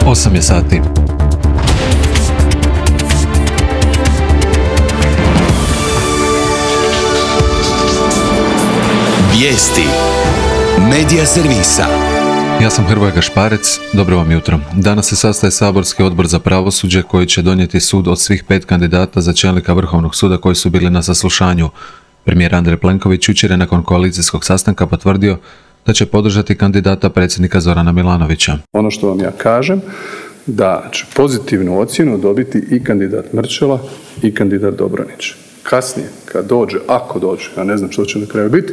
8 je sati. Vijesti Medija servisa. Ja sam Hrvoje Gašparec, dobro vam jutro. Danas se sastaje saborski odbor za pravosuđe koji će donijeti sud od svih 5 kandidata za čelnika Vrhovnog suda koji su bili na saslušanju. Premijer Andrej Plenković jučer je nakon koalicijskog sastanka potvrdio da će podržati kandidata predsjednika Zorana Milanovića. Ono što vam ja kažem, da će pozitivnu ocjenu dobiti i kandidat Mrčela i kandidat Dobronić. Kasnije, kad dođe, ako dođe, ja ne znam što će na kraju biti,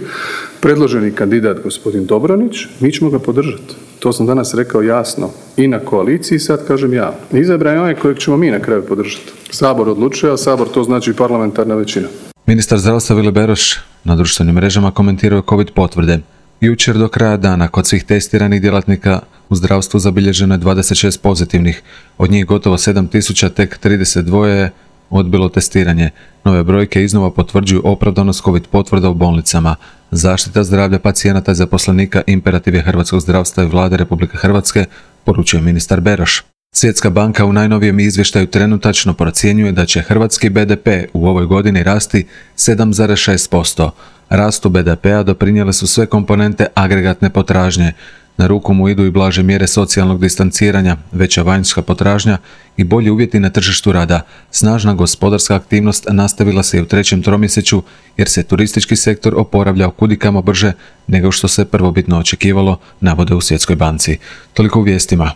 predloženi kandidat gospodin Dobronić, mi ćemo ga podržati. To sam danas rekao jasno i na koaliciji, sad kažem ja. Izabran je onaj kojeg ćemo mi na kraju podržati. Sabor odlučuje, a Sabor to znači parlamentarna većina. Ministar zdravstva Vili Beroš na društvenim mrežama komentirao COVID potvrde. Jučer do kraja dana kod svih testiranih djelatnika u zdravstvu zabilježeno je 26 pozitivnih, od njih gotovo 7000, tek 32 je odbilo testiranje. Nove brojke iznova potvrđuju opravdanost COVID potvrda u bolnicama. Zaštita zdravlja pacijenata i zaposlenika imperativ je hrvatskog zdravstva i Vlade Republike Hrvatske, poručuje ministar Beroš. Svjetska banka u najnovijem izvještaju trenutačno procjenjuje da će hrvatski BDP u ovoj godini rasti 7,6%. Rastu BDP-a doprinijele su sve komponente agregatne potražnje. Na ruku mu idu i blaže mjere socijalnog distanciranja, veća vanjska potražnja i bolji uvjeti na tržištu rada. Snažna gospodarska aktivnost nastavila se i u trećem tromjesečju jer se turistički sektor oporavljao kudikamo brže nego što se prvobitno očekivalo, navode u Svjetskoj banci. Toliko u vijestima.